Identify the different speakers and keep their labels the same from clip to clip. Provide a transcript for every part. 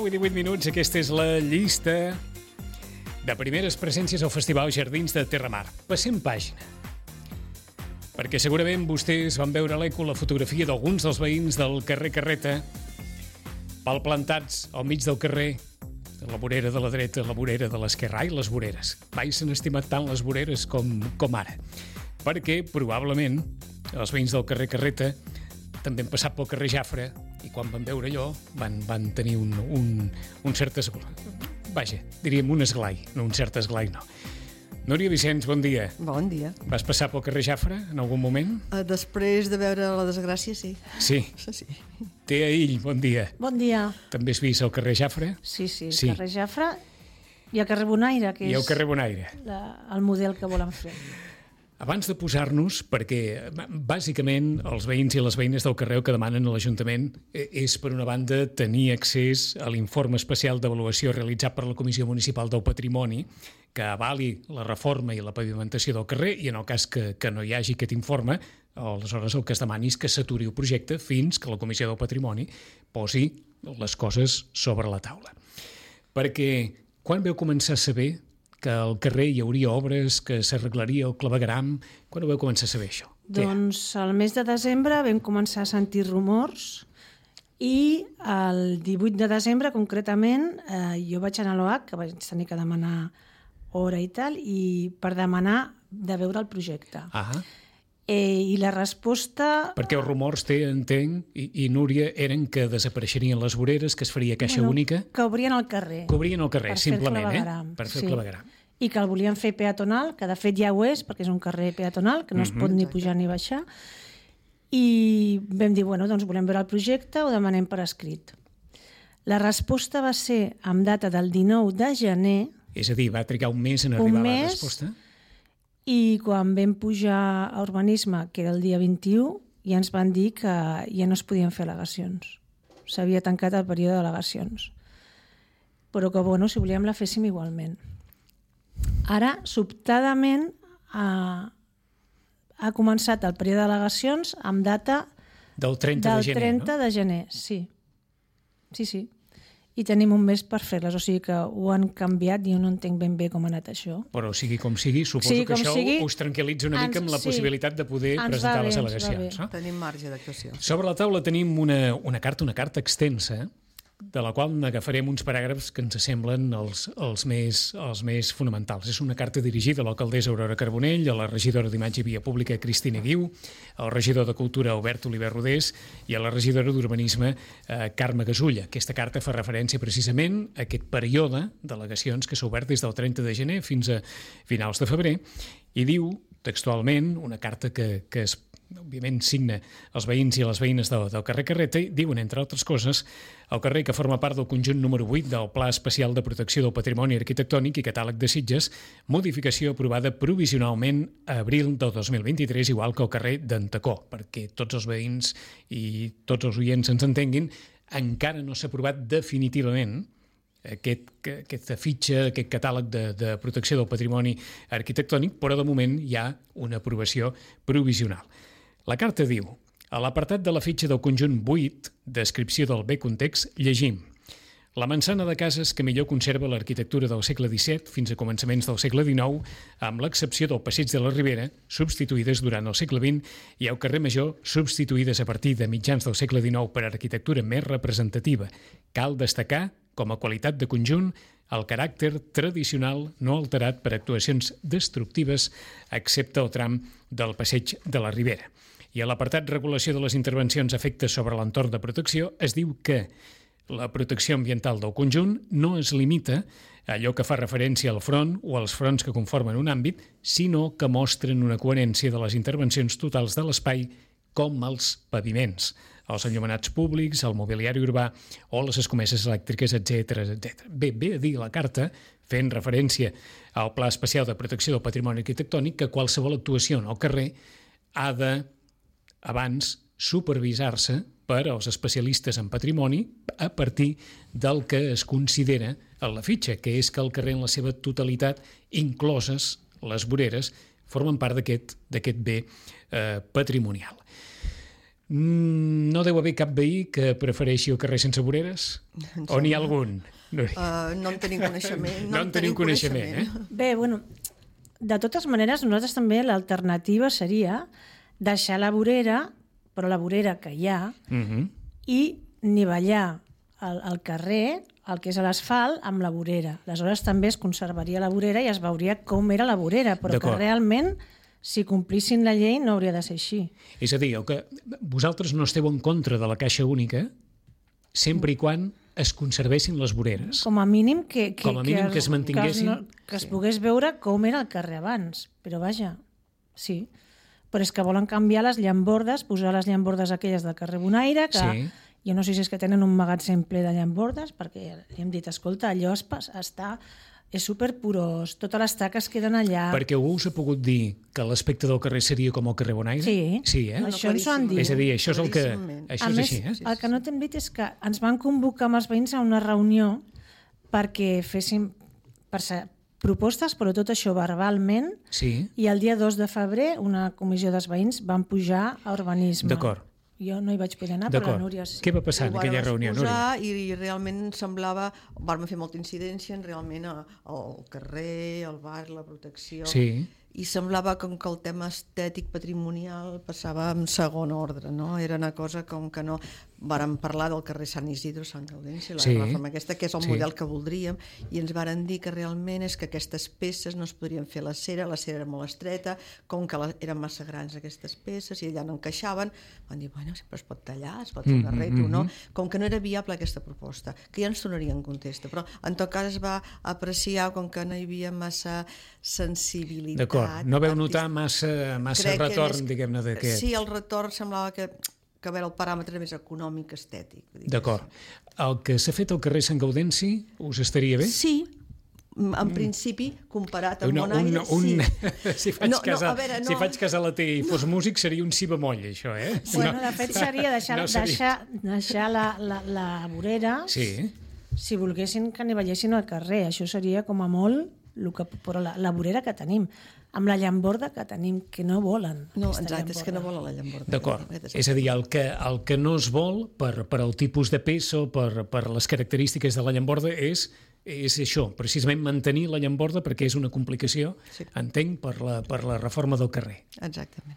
Speaker 1: 9:18, aquesta és la llista de primeres presències al Festival Jardins de Terramar. Passem pàgina. Perquè segurament vostès van veure a l'Eco la fotografia d'alguns dels veïns del carrer Carreta palplantats al mig del carrer, la vorera de la dreta, la vorera de l'esquerra. Ai, les voreres. Mai s'han estimat tant les voreres com ara. Perquè, probablement, els veïns del carrer Carreta també han passat pel carrer Jafre i quan van veure allò van tenir un cert esglai. Vaja, diríem un esglai, no un cert esglai, no. Núria Vicenç, bon dia.
Speaker 2: Bon dia.
Speaker 1: Vas passar pel carrer Jafre en algun moment?
Speaker 2: Després de veure la desgràcia, sí.
Speaker 1: Sí.
Speaker 2: Sí.
Speaker 1: Tea Ill, bon dia.
Speaker 3: Bon dia.
Speaker 1: També has vist el carrer Jafre?
Speaker 3: Sí, el carrer Jafre i el carrer Bonaire, que
Speaker 1: I el
Speaker 3: és
Speaker 1: carrer Bonaire.
Speaker 3: el model que volen fer.
Speaker 1: Abans de posar-nos, perquè bàsicament els veïns i les veïnes del carrer que demanen a l'Ajuntament és, per una banda, tenir accés a l'informe especial d'avaluació realitzat per la Comissió Municipal del Patrimoni que avali la reforma i la pavimentació del carrer i en el cas que no hi hagi aquest informe, aleshores el que es demani és que s'aturi el projecte fins que la Comissió del Patrimoni posi les coses sobre la taula. Perquè quan veu començar a saber que al carrer hi hauria obres, que s'arreglaria el clavegueram? Quan ho vau començar a saber, això?
Speaker 3: Doncs al mes de desembre vam començar a sentir rumors i el 18 de desembre, concretament, jo vaig anar a l'OAC, que vaig tenir que demanar hora i tal, i per demanar de veure el projecte. I la resposta...
Speaker 1: Perquè els rumors, entenc, i Núria, eren que desapareixerien les voreres, que es faria caixa única...
Speaker 3: Que obrien el carrer.
Speaker 1: Que obrien el carrer, simplement, per fer el clavegueram.
Speaker 3: I que el volien fer peatonal, que de fet ja ho és, perquè és un carrer peatonal, que no es pot ni pujar ni baixar. I vam dir, doncs volem veure el projecte, ho demanem per escrit. La resposta va ser amb data del 19 de gener...
Speaker 1: És a dir, va trigar un mes en arribar la resposta?
Speaker 3: I quan vam pujar a urbanisme, que era el dia 21, ja ens van dir que ja no es podien fer al·legacions. S'havia tancat el període d'al·legacions. Però que, si volíem la féssim igualment. Ara, sobtadament, ha començat el període d'al·legacions amb data
Speaker 1: del 30
Speaker 3: de gener, sí. Sí. I tenim un mes per fer-les, o sigui que ho han canviat i jo no entenc ben bé com ha anat això.
Speaker 1: Però sigui com sigui, suposo que això us tranquil·litza una mica amb la possibilitat de poder presentar les al·legacions.
Speaker 2: Tenim marge d'actuació.
Speaker 1: Sobre la taula tenim una carta extensa, de la qual n'agafarem uns paràgrafs que ens semblen els més fonamentals. És una carta dirigida a l'alcaldessa Aurora Carbonell, a la regidora d'Imatge i Via Pública Cristina Guiu, al regidor de Cultura Albert Oliver Rodés i a la regidora d'Urbanisme Carme Gasulla. Aquesta carta fa referència precisament a aquest període d'al·legacions que s'ha obert des del 30 de gener fins a finals de febrer i diu textualment, una carta que òbviament signa els veïns i les veïnes del carrer Carreta, i diuen, entre altres coses, el carrer que forma part del conjunt número 8 del Pla Especial de Protecció del Patrimoni Arquitectònic i Catàleg de Sitges, modificació aprovada provisionalment a abril del 2023, igual que el carrer d'Antacó, perquè tots els veïns i tots els oients ens entenguin, encara no s'ha aprovat definitivament aquesta fitxa, aquest catàleg de protecció del patrimoni arquitectònic, però de moment hi ha una aprovació provisional. La carta diu, a l'apartat de la fitxa del conjunt 8, descripció del bé context, llegim: la manzana de cases que millor conserva l'arquitectura del segle XVII fins a començaments del segle XIX, amb l'excepció del passeig de la Ribera, substituïdes durant el segle XX, i el carrer Major, substituïdes a partir de mitjans del segle XIX per arquitectura més representativa. Cal destacar, com a qualitat de conjunt, el caràcter tradicional no alterat per actuacions destructives, excepte el tram del passeig de la Ribera. I a l'apartat regulació de les intervencions efectes sobre l'entorn de protecció es diu que la protecció ambiental del conjunt no es limita a allò que fa referència al front o als fronts que conformen un àmbit, sinó que mostren una coherència de les intervencions totals de l'espai com els paviments, els enllumenats públics, el mobiliari urbà o les escomeses elèctriques, etc. Bé a dir la carta, fent referència al Pla Especial de Protecció del Patrimoni Arquitectònic, que qualsevol actuació en el carrer ha de, abans, supervisar-se per als especialistes en patrimoni a partir del que es considera en la fitxa, que és que el carrer en la seva totalitat, incloses les voreres, formen part d'aquest bé patrimonial. No deu haver cap veí que prefereixi el carrer sense voreres? O n'hi ha algun?
Speaker 2: No en tenim coneixement.
Speaker 1: No en tenim coneixement,
Speaker 3: Bé, bueno, de totes maneres, nosaltres també l'alternativa seria deixar la vorera, però la vorera que hi ha, i nivellar el carrer, el que és l'asfalt, amb la vorera. Aleshores també es conservaria la vorera i es veuria com era la vorera, però que realment, si complissin la llei, no hauria de ser així.
Speaker 1: És a dir, que vosaltres no esteu en contra de la caixa única sempre i quan es conservessin les voreres.
Speaker 3: Com a mínim que
Speaker 1: es mantinguessin.
Speaker 3: Que es pogués veure com era el carrer abans. Però vaja, sí. Però és que volen canviar les llambordes, posar les llambordes aquelles del carrer Bonaire, que jo no sé si és que tenen un magatzem ple de llambordes, perquè li hem dit, escolta, allò és superpurós, totes les taques queden allà.
Speaker 1: Perquè algú us ha pogut dir que l'aspecte del carrer seria com el carrer Bonaire?
Speaker 3: Sí, això ens ho han dit.
Speaker 1: És a dir, això és el que... Això és així,
Speaker 3: el que no t'hem dit és que ens van convocar amb els veïns a una reunió perquè féssim propostes, però tot això verbalment, i el dia 2 de febrer una comissió dels veïns van pujar a urbanisme.
Speaker 1: D'acord.
Speaker 3: Jo no hi vaig poder anar, però la Núria sí.
Speaker 1: Què va passar en aquella reunió, Núria?
Speaker 2: I realment semblava... Vam fer molta incidència realment al carrer, al bar, la protecció...
Speaker 1: Sí.
Speaker 2: I semblava com que el tema estètic patrimonial passava en segon ordre, no? Era una cosa com que no... Vàrem parlar del carrer Sant Isidro, Sant Gaudenci, la reforma aquesta, que és el model que voldríem, i ens varen dir que realment és que aquestes peces no es podrien fer a la cera era molt estreta, com que eren massa grans aquestes peces i allà no encaixaven, van dir, bueno, sempre es pot tallar, es pot fer un arreglo, no? Com que no era viable aquesta proposta, que ja ens tornarien contesta, però en tot cas es va apreciar com que no hi havia massa sensibilitat.
Speaker 1: D'acord, no veu notar massa retorn, diguem-ne, d'aquest...
Speaker 2: Sí, el retorn semblava que a veure, el paràmetre més econòmic, estètic.
Speaker 1: D'acord. El que s'ha fet al carrer Sant Gaudenci us estaria bé?
Speaker 2: Sí, en principi, comparat amb Bonaire, sí.
Speaker 1: Si faig cas a la T i fos músic, seria un si bemoll, això, eh?
Speaker 3: Bueno, de fet, seria deixar la vorera, si volguessin que nivellessin al carrer. Això seria, com a molt, però la vorera que tenim, amb la llamborda que tenim, que no volen.
Speaker 2: No, exacte, és que no volen la llamborda.
Speaker 1: D'acord. És a dir, el que no es vol, per el tipus de peça o per les característiques de la llamborda, és això, precisament mantenir la llamborda, perquè és una complicació, entenc, per la reforma del carrer.
Speaker 2: Exactament.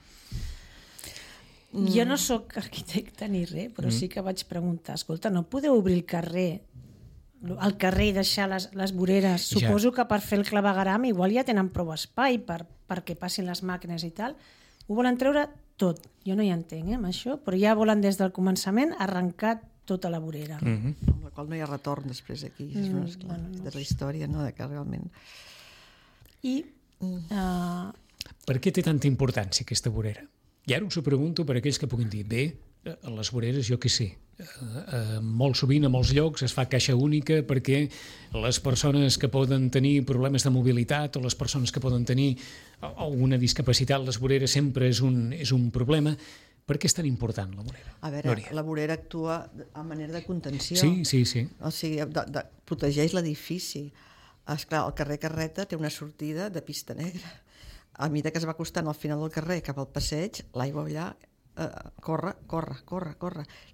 Speaker 3: Jo no sóc arquitecte ni res, però sí que vaig preguntar, escolta, no podeu obrir el carrer i deixar les voreres? Suposo que per fer el clavegueram igual ja tenen prou espai perquè passin les màquines i tal. Ho volen treure tot. Jo no hi entenc, amb això, però ja volen des del començament arrencar tota la vorera.
Speaker 2: Amb la qual no hi ha retorn després aquí. És la història, no?, de que realment...
Speaker 1: Per què té tanta importància aquesta vorera? I ara us ho pregunto per aquells que puguin dir, bé, a les voreres, jo què sé, molt sovint a molts llocs es fa caixa única perquè les persones que poden tenir problemes de mobilitat o les persones que poden tenir alguna discapacitat, les voreres sempre és un problema. Per què és tan important la vorera?
Speaker 2: A veure, la vorera actua a manera de contenció.
Speaker 1: Sí.
Speaker 2: O sigui, protegeix l'edifici. Esclar, el carrer Carreta té una sortida de pista negra. A mesura que es va acostant al final del carrer cap al passeig, l'aigua allà corre.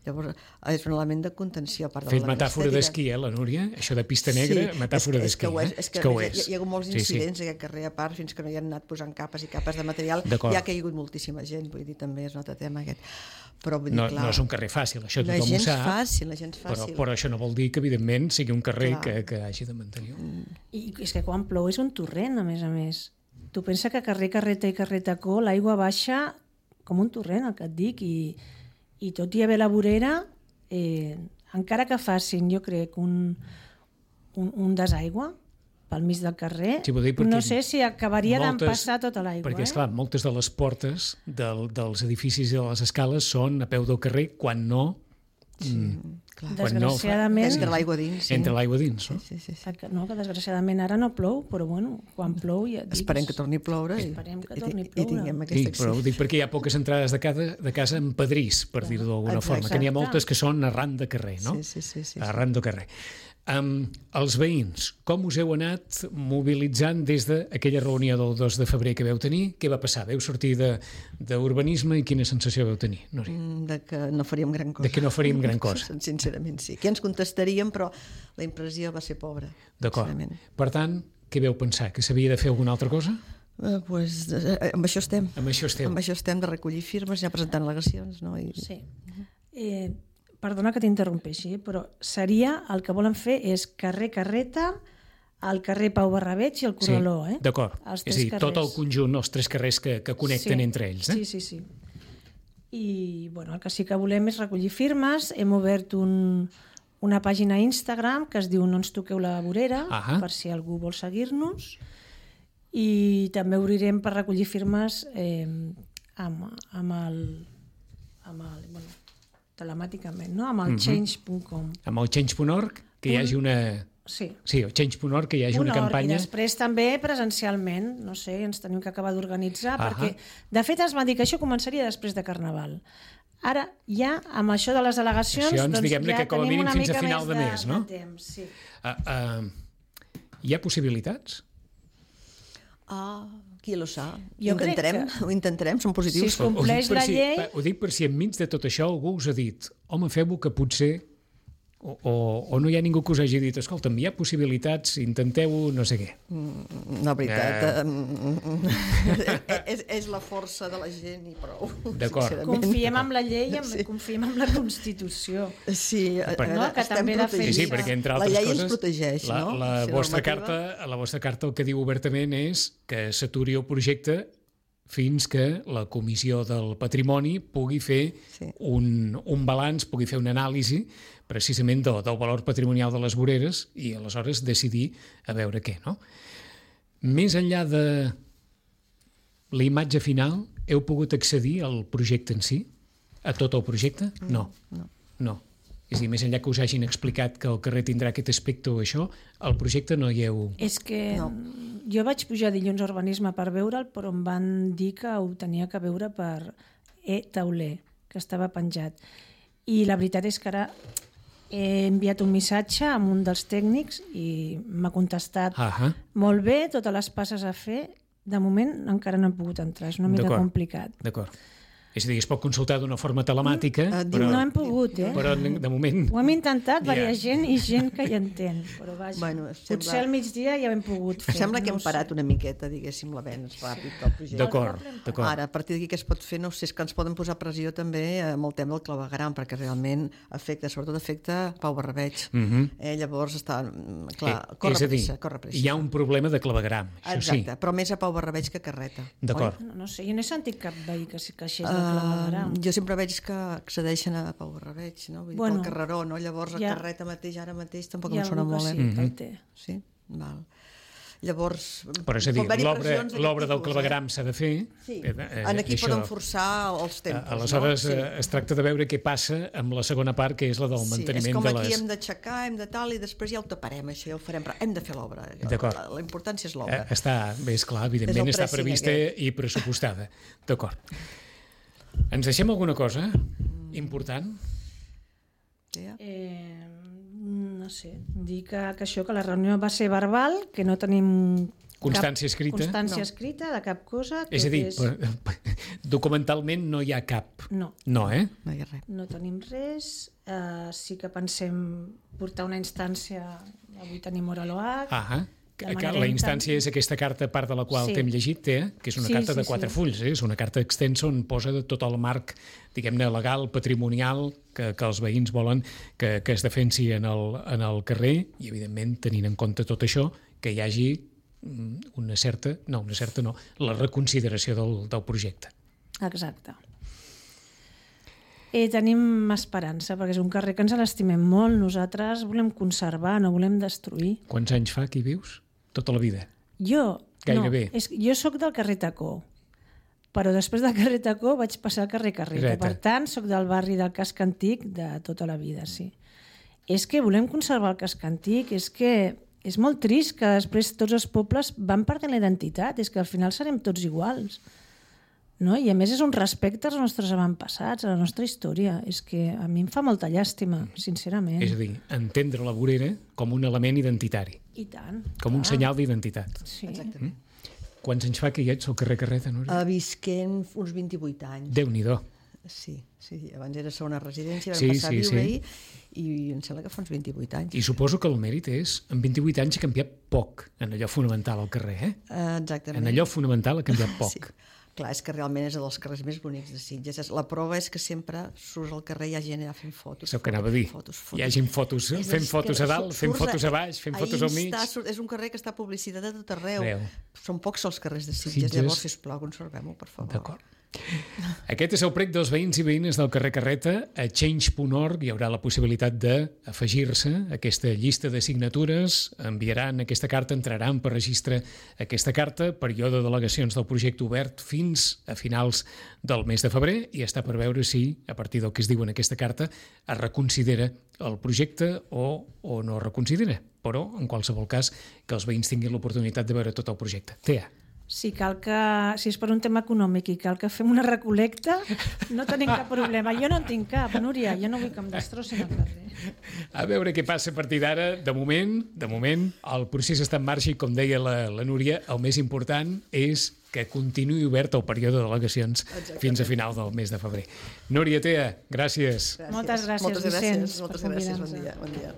Speaker 2: Llavors és un element de contenció.
Speaker 1: Fet metàfora d'esquí, la Núria? Això de pista negra, metàfora d'esquí.
Speaker 2: És que ho és. Hi ha hagut molts incidents a aquest carrer, a part, fins que no hi han anat posant capes i capes de material. Hi ha caigut moltíssima gent, vull dir, també és un altre tema aquest. Però vull dir, clar... No
Speaker 1: és un carrer fàcil, això tothom ho sap.
Speaker 2: La gent fàcil.
Speaker 1: Però això no vol dir que, evidentment, sigui un carrer que hagi de mantenir.
Speaker 3: I és que quan plou és un torrent, a més. Tu pensa que carrer Carreta i carrer Tacó l'aigua baixa com un torrent, el que et dic, i tot i haver la vorera, encara que facin, jo crec, un desaigua pel mig del carrer, no sé si acabaria d'empassar tota l'aigua.
Speaker 1: Perquè, esclar, moltes de les portes dels edificis i de les escales són a peu del carrer, quan no...
Speaker 3: Desgraciadament...
Speaker 2: Entra l'aigua dins.
Speaker 1: Entra l'aigua dins, no?
Speaker 3: Sí. No, que desgraciadament ara no plou, però bueno, quan plou ja...
Speaker 2: Esperem que torni a ploure i tinguem aquesta acció.
Speaker 1: Però ho dic perquè hi ha poques entrades de casa en pedrís, per dir-ho d'alguna forma, que n'hi ha moltes que són arran de carrer, no?
Speaker 2: Sí.
Speaker 1: Arran de carrer. Els veïns, com us heu anat mobilitzant des d'aquella reunió del 2 de febrer que vau tenir? Què va passar? Veu sortir d'urbanisme i quina sensació vau tenir, Núria?
Speaker 2: De que no faríem gran cosa.
Speaker 1: De que no faríem gran cosa.
Speaker 2: Sincerament, sí. Que ens contestaríem, però la impressió va ser pobra.
Speaker 1: D'acord. Per tant, què vau pensar? Que s'havia de fer alguna altra cosa?
Speaker 2: Amb això estem.
Speaker 1: Amb això esteu.
Speaker 2: Amb això estem, de recollir firmes, ja presentant al·legacions, no?
Speaker 3: Sí. Perdona que t'interrompeixi, però seria, el que volen fer és carrer Carreta, el carrer Pau Barrabeig i el Corraló,
Speaker 1: Sí, d'acord. És a dir, tot el conjunt, els 3 carrers que connecten entre ells.
Speaker 3: Sí. I el que sí que volem és recollir firmes. Hem obert una pàgina a Instagram que es diu No ens toqueu la vorera, per si algú vol seguir-nos. I també obrirem per recollir firmes telemàticament, no? Amb el change.com.
Speaker 1: Amb el change.org, que hi hagi una... Sí, el change.org, que hi hagi una campanya...
Speaker 3: I després també presencialment, no sé, ens tenim que acabar d'organitzar, perquè, de fet, ens van dir que això començaria després de Carnaval. Ara, ja, amb això de les delegacions, doncs
Speaker 1: diguem-ne que com a mínim fins a final de mes, no?
Speaker 3: Temps, sí.
Speaker 1: Hi ha possibilitats?
Speaker 2: Qui lo sap? Ho intentarem, som positius.
Speaker 3: Si es compleix la llei...
Speaker 1: Ho dic per si enmig de tot això algú us ha dit home, feu-ho que potser... O no hi ha ningú que us hagi dit escolta'm, hi ha possibilitats, intenteu-ho, no sé què.
Speaker 2: La veritat, és la força de la gent i prou.
Speaker 1: D'acord.
Speaker 3: Confiem en la llei i confiem en la Constitució.
Speaker 2: Sí,
Speaker 3: que també defensa.
Speaker 1: Sí, perquè entre altres
Speaker 2: coses... La llei ens protegeix,
Speaker 1: no? La vostra carta el que diu obertament és que s'aturi el projecte fins que la Comissió del Patrimoni pugui fer un balanç, pugui fer una anàlisi precisament del valor patrimonial de les voreres i aleshores decidir a veure què, no? Més enllà de la imatge final, heu pogut accedir al projecte en si? A tot el projecte? No. És a dir, més enllà que us hagin explicat que el carrer tindrà aquest aspecte o això, el projecte no hi heu...
Speaker 3: És que jo vaig pujar dilluns a Urbanisme per veure'l, però em van dir que ho tenia que veure per tauler, que estava penjat. I la veritat és que ara he enviat un missatge a un dels tècnics i m'ha contestat molt bé, totes les passes a fer. De moment encara no hem pogut entrar, és una mica complicat.
Speaker 1: D'acord. És a dir, es pot consultar d'una forma telemàtica, però...
Speaker 3: No hem pogut,
Speaker 1: Però de moment...
Speaker 3: Ho hem intentat, diversa gent i gent que hi entén, però vaja, potser al migdia ja ho hem pogut fer.
Speaker 2: Sembla que hem parat una miqueta, diguéssim, l'avenç ràpid del projecte.
Speaker 1: D'acord.
Speaker 2: Ara, a partir d'aquí què es pot fer? No sé, és que ens poden posar pressió també amb el tema del clavegueram, perquè realment sobretot afecta Pau Barrabeig. Llavors està... Clar, corre pressa.
Speaker 1: Hi ha un problema de claveguram, això sí.
Speaker 2: Exacte, però més a Pau Barrabeig que a Carreta.
Speaker 1: D'acord.
Speaker 3: No sé, jo no he sentit cap veí que queixés de claveguram.
Speaker 2: Jo sempre veig que accedeixen a Pau Barrabeig, no? Vull dir, pel carreró, no? Llavors a Carreta mateix, ara mateix, tampoc em sona molt, Sí, val. Llavors...
Speaker 1: Però és a dir, l'obra del claveguram s'ha de fer.
Speaker 2: Sí, aquí poden forçar els tempos.
Speaker 1: Aleshores es tracta de veure què passa amb la segona part, que és la del manteniment de les...
Speaker 2: Sí, és com aquí hem d'aixecar, hem de tal, i després ja ho taparem, això ja ho farem, però hem de fer l'obra. La importància és l'obra.
Speaker 1: Està, bé, esclar, evidentment està prevista i pressupostada. D'acord. Ens deixem alguna cosa important?
Speaker 3: No sé, dir que això, que la reunió va ser verbal, que no tenim
Speaker 1: constància
Speaker 3: escrita de cap cosa.
Speaker 1: És a dir, documentalment no hi ha cap.
Speaker 3: No,
Speaker 2: no hi ha res.
Speaker 3: No tenim res. Sí que pensem portar una instància, avui tenim hora a l'OAC.
Speaker 1: La instància és aquesta carta, part de la qual t'hem llegit, que és una carta de 4 fulls, és una carta extensa on posa tot el marc, diguem-ne, legal, patrimonial, que els veïns volen que es defensi en el carrer i, evidentment, tenint en compte tot això, que hi hagi la reconsideració del projecte.
Speaker 3: Exacte. Tenim esperança, perquè és un carrer que ens l'estimem molt. Nosaltres volem conservar, no volem destruir.
Speaker 1: Quants anys fa que hi vius? Tota la vida?
Speaker 3: Jo?
Speaker 1: Gairebé.
Speaker 3: No, jo sóc del carrer Tacó, però després del carrer Tacó vaig passar al carrer Carreta. Per tant, sóc del barri del Casc Antic de tota la vida, sí. És que volem conservar el Casc Antic, és que és molt trist que després tots els pobles van perdent la identitat, és que al final serem tots iguals. no? I a més és un respecte als nostres avantpassats, a la nostra història. És que a mi em fa molta llàstima, sincerament.
Speaker 1: És a dir, entendre la vorera com un element identitari.
Speaker 3: I tant.
Speaker 1: Com un senyal d'identitat.
Speaker 3: Sí.
Speaker 2: Exactament.
Speaker 1: Quants anys fa que hi ets al carrer Carreta, Núria?
Speaker 2: Visquent uns 28 anys.
Speaker 1: Déu-n'hi-do.
Speaker 2: Sí. Abans era segona residència, vam
Speaker 1: Sí,
Speaker 2: passar a
Speaker 1: sí,
Speaker 2: viure-hi i em sembla que fa uns 28 anys.
Speaker 1: I suposo que el mèrit és, en 28 anys ha canviat poc en allò fonamental al carrer, eh?
Speaker 2: Exactament.
Speaker 1: En allò fonamental ha canviat poc.
Speaker 2: Sí. Clar, és que realment és dels carrers més bonics de Sitges. La prova és que sempre surts al carrer i hi ha gent allà fent fotos.
Speaker 1: És el que anava a dir. Hi ha gent fent fotos a dalt, fent fotos a baix, fent fotos al mig.
Speaker 2: És un carrer que està publicitat a tot arreu. Són pocs els carrers de
Speaker 1: Sitges.
Speaker 2: Llavors, sisplau, conservem-ho, per favor.
Speaker 1: D'acord. Aquest és el prec dels veïns i veïnes del carrer Carreta. A change.org hi haurà la possibilitat d'afegir-se a aquesta llista de signatures, enviaran aquesta carta, entraran per registre aquesta carta, període de delegacions del projecte obert fins a finals del mes de febrer, i està per veure si, a partir del que es diu en aquesta carta, es reconsidera el projecte o no es reconsidera. Però, en qualsevol cas, que els veïns tinguin l'oportunitat de veure tot el projecte. Tea.
Speaker 3: Si és per un tema econòmic i cal que fem una recolecta, no tenim cap problema. Jo no en tinc cap, Núria, jo no vull que em destrossin el carrer.
Speaker 1: A veure què passa a partir d'ara. De moment, el procés està en marxa i, com deia la Núria, el més important és que continuï obert el període de delegacions fins a final del mes de febrer. Núria, Tea, gràcies.
Speaker 3: Moltes gràcies, Vicenç, per convidar-nos.
Speaker 2: Bon dia.